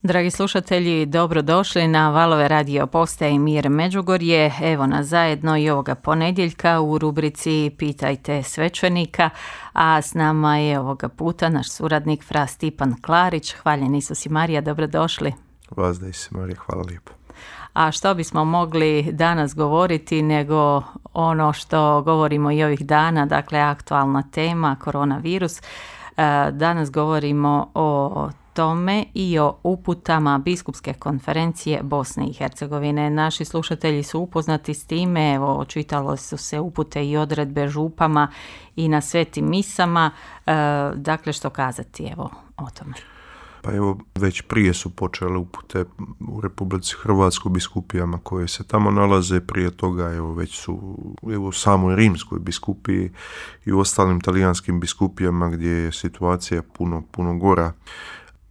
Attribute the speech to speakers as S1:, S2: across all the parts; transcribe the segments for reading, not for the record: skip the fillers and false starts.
S1: Dragi slušatelji, dobrodošli na Valove radio postaje Mir Međugorje. Evo nas zajedno i ovoga ponedjeljka u rubrici Pitajte svećenika, a s nama je ovoga puta naš suradnik fra Stipan Klarić. Hvaljen Isus i Marija, dobrodošli.
S2: Vazda Isus i Marija, hvala lijepo.
S1: A što bismo mogli danas govoriti nego ono što govorimo i ovih dana, dakle aktualna tema, koronavirus. Danas govorimo o tome i o uputama Biskupske konferencije Bosne i Hercegovine. Naši slušatelji su upoznati s time, evo, čitalo su se upute i odredbe župama i na svetim misama. Dakle, što kazati evo o tome?
S2: Pa evo, već prije su počele upute u Republici Hrvatskoj biskupijama koje se tamo nalaze. Prije toga evo, već su u samoj Rimskoj biskupiji i u ostalim talijanskim biskupijama gdje je situacija puno gora.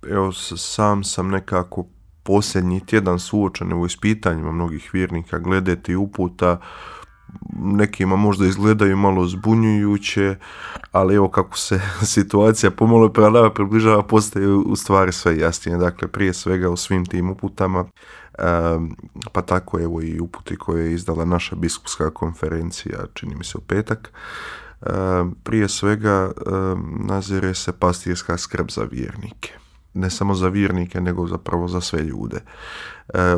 S2: Evo, sam sam nekako posljednji tjedan suočen u ispitanjima mnogih vjernika glede tih uputa. Nekima možda izgledaju malo zbunjujuće, ali evo kako se situacija pomalo približava, postaje u stvari sve jasnije. Dakle, prije svega u svim tim uputama, pa tako evo i uputi koje je izdala naša biskupska konferencija, čini mi se u petak, prije svega nazire se pastirska skrb za vjernike. Ne samo za vjernike, nego zapravo za sve ljude.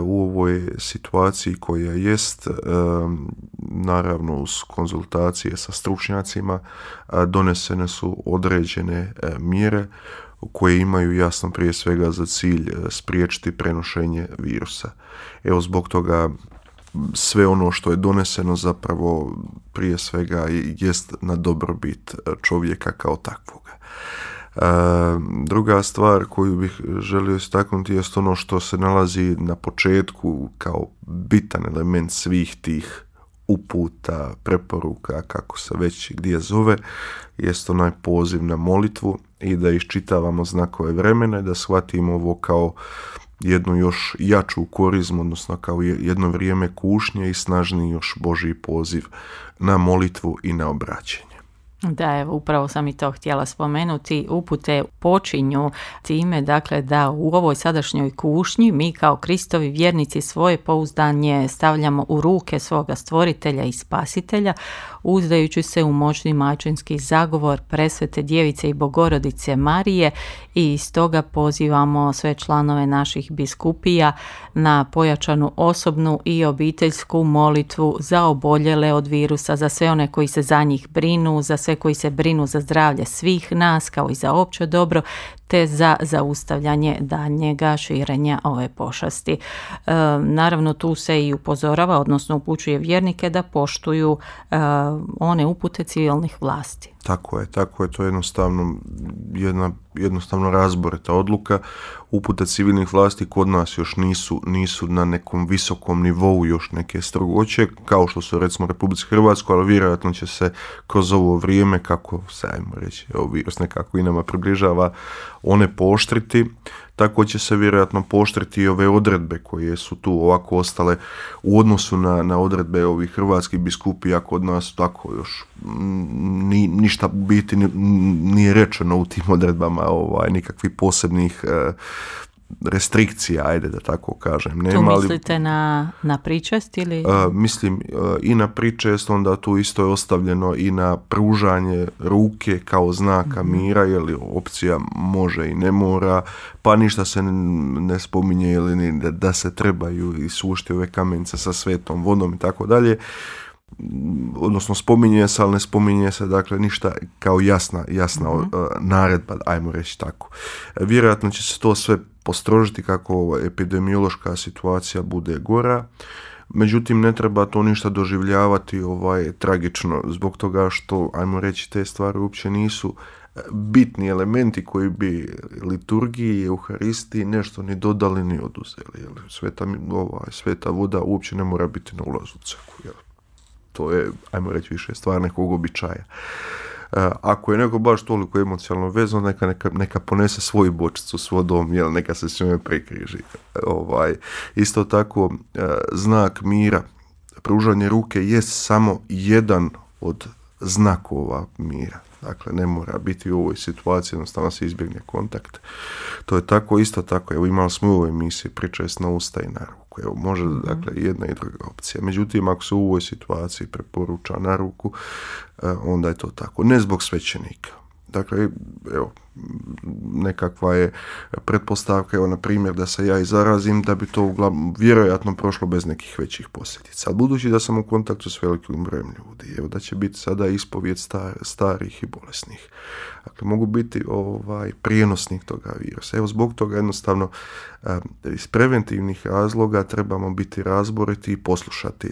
S2: U ovoj situaciji koja jest, naravno uz konzultacije sa stručnjacima, donesene su određene mjere koje imaju jasno prije svega za cilj spriječiti prenošenje virusa. Evo, zbog toga sve ono što je doneseno zapravo prije svega jest na dobrobit čovjeka kao takvoga. Druga stvar koju bih želio istaknuti jest ono što se nalazi na početku kao bitan element svih tih uputa, preporuka, kako se već gdje zove, jest onaj poziv na molitvu i da iščitavamo znakove vremena i da shvatimo ovo kao jednu još jaču korizmu, odnosno kao jedno vrijeme kušnje i snažniji još Božji poziv na molitvu i na obraćenje.
S1: Da, evo, upravo sam i to htjela spomenuti. Upute počinju time, dakle, da u ovoj sadašnjoj kušnji mi kao Kristovi vjernici svoje pouzdanje stavljamo u ruke svoga stvoritelja i spasitelja, uzdajući se u moćni majčinski zagovor presvete djevice i Bogorodice Marije, i stoga pozivamo sve članove naših biskupija na pojačanu osobnu i obiteljsku molitvu za oboljele od virusa, za sve one koji se za njih brinu, za sve koji se brinu za zdravlje svih nas, kao i za opće dobro, te za zaustavljanje daljnjega širenja ove pošasti. Naravno, tu se i upozorava, odnosno upućuje vjernike da poštuju one upute civilnih vlasti.
S2: Tako je, to je jednostavno razborita odluka. Upute civilnih vlasti kod nas još nisu na nekom visokom nivou još neke strogoće, kao što su recimo u Republici Hrvatskoj, ali vjerojatno će se kroz ovo vrijeme, kako se, ajmo reći, virus nekako i nama približava, one pooštriti. Tako će se vjerojatno pooštriti i ove odredbe koje su tu ovako ostale u odnosu na odredbe ovih hrvatskih biskupija. Kod nas tako još ništa biti nije rečeno u tim odredbama, nikakvih posebnih restrikcija, ajde da tako kažem.
S1: Nema, tu mislite na pričest ili?
S2: Mislim i na pričest, onda tu isto je ostavljeno i na pružanje ruke kao znaka mira, jer opcija može i ne mora, pa ništa se ne spominje ili da se trebaju isušiti ove kamenice sa svetom vodom i tako dalje. Odnosno spominje se, ali ne spominje se, dakle ništa kao jasna naredba, ajmo reći tako. Vjerojatno će se to sve postrožiti kako epidemiološka situacija bude gora. Međutim, ne treba to ništa doživljavati tragično, zbog toga što, ajmo reći, te stvari uopće nisu bitni elementi koji bi liturgiji i euharistiji nešto ni dodali ni oduzeli. Sveta voda uopće ne mora biti na ulazu u crkvu. To je, ajmo reći, više stvar nekog običaja. Ako je neko baš toliko emocionalno vezan, neka ponese svoju bočicu s vodom, neka se s njome prekriži. Isto tako, znak mira, pružanje ruke je samo jedan od znakova mira. Dakle, ne mora biti u ovoj situaciji, jednostavno se izbjegne kontakt. To je tako, isto tako, evo imali smo u ovoj emisiji priča na usta i na ruku. Evo, može, dakle, jedna i druga opcija. Međutim, ako se u ovoj situaciji preporuča na ruku, onda je to tako. Ne zbog svećenika. Dakle, evo, nekakva je pretpostavka, evo, na primjer, da se ja i zarazim, da bi to vjerojatno prošlo bez nekih većih posljedica. Ali budući da sam u kontaktu s velikim brojem ljudi, evo, da će biti sada ispovijed starih i bolesnih. Dakle, mogu biti prijenosnik toga virusa. Evo, zbog toga jednostavno iz preventivnih razloga trebamo biti razboriti i poslušati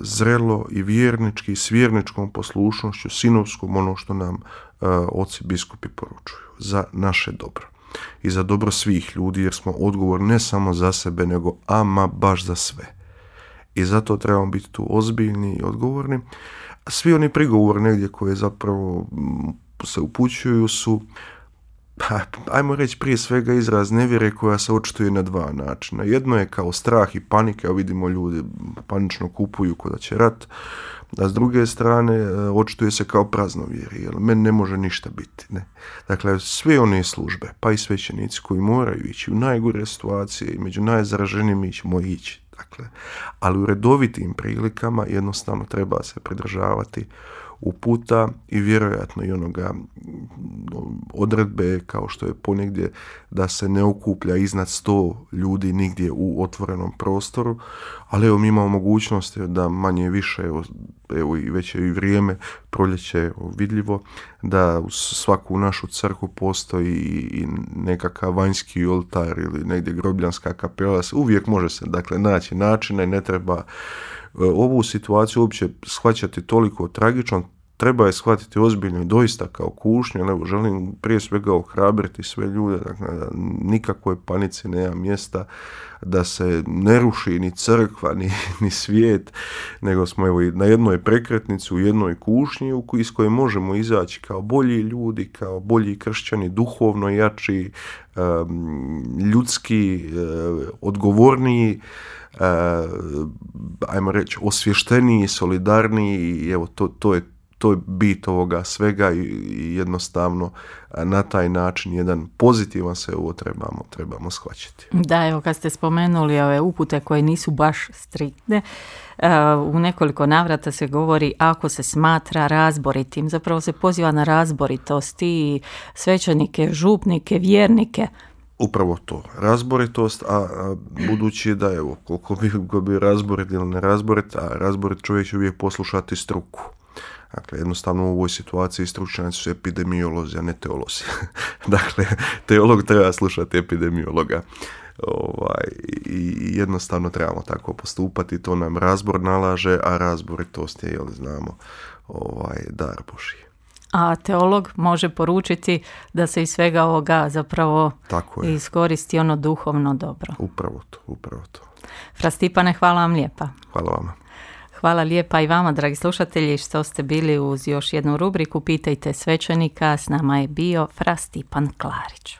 S2: zrelo i vjernički, s vjerničkom poslušnošću, sinovskom, ono što nam oci biskupi poručuju za naše dobro i za dobro svih ljudi, jer smo odgovorni ne samo za sebe, nego ama baš za sve. I zato trebamo biti tu ozbiljni i odgovorni. Svi oni prigovori negdje koje zapravo se upućuju su, ajmo reći, prije svega izraz nevjere koja se očituje na dva načina. Jedno je kao strah i panika, vidimo ljudi panično kupuju ko da će rat, a s druge strane očituje se kao praznovjerje, jer meni ne može ništa biti. Ne? Dakle, sve one službe, pa i svećenici koji moraju ići u najgore situacije i među najzaraženijim mi ćemo ići. Dakle, ali u redovitim prilikama jednostavno treba se pridržavati uputa i vjerojatno i onoga odredbe kao što je ponegdje da se ne okuplja iznad 100 ljudi nigdje u otvorenom prostoru, ali evo mi imamo mogućnost da manje više, evo i već je i vrijeme, proljeće vidljivo, da u svaku našu crkvu postoji i nekakav vanjski oltar ili negdje grobljanska kapela, uvijek može se dakle naći načina i ne treba ovu situaciju uopće shvaćati toliko tragično, treba je shvatiti ozbiljno i doista kao kušnju, ali želim prije svega ohrabriti sve ljude, dakle, da nikakvoj panici nema mjesta, da se ne ruši ni crkva, ni svijet, nego smo evo na jednoj prekretnici, u jednoj kušnji iz koje možemo izaći kao bolji ljudi, kao bolji kršćani, duhovno jači, ljudski, odgovorniji, ajmo reći, osvješteniji, solidarniji i evo to je bit ovoga svega i jednostavno na taj način jedan pozitivan se ovo trebamo shvaćati.
S1: Da, evo kad ste spomenuli ove upute koje nisu baš striktne, u nekoliko navrata se govori ako se smatra razboritim, zapravo se poziva na razboritost i svećenike, župnike, vjernike.
S2: Upravo to, razboritost, a budući da evo koliko bi razborit ili ne razborit, a razborit čovjek će uvijek poslušati struku. Dakle, jednostavno u ovoj situaciji stručnjaci su epidemiolozi, a ne teolozi. Dakle, teolog treba slušati epidemiologa. I jednostavno trebamo tako postupati, to nam razbor nalaže, a razboritost je, znamo, dar Božji.
S1: A teolog može poručiti da se iz svega ovoga zapravo iskoristi ono duhovno dobro.
S2: Upravo to.
S1: Fra Stipane, hvala vam lijepa.
S2: Hvala vama.
S1: Hvala lijepa i vama, dragi slušatelji, što ste bili uz još jednu rubriku Pitajte svećenika. S nama je bio Fra Stipan Klarić.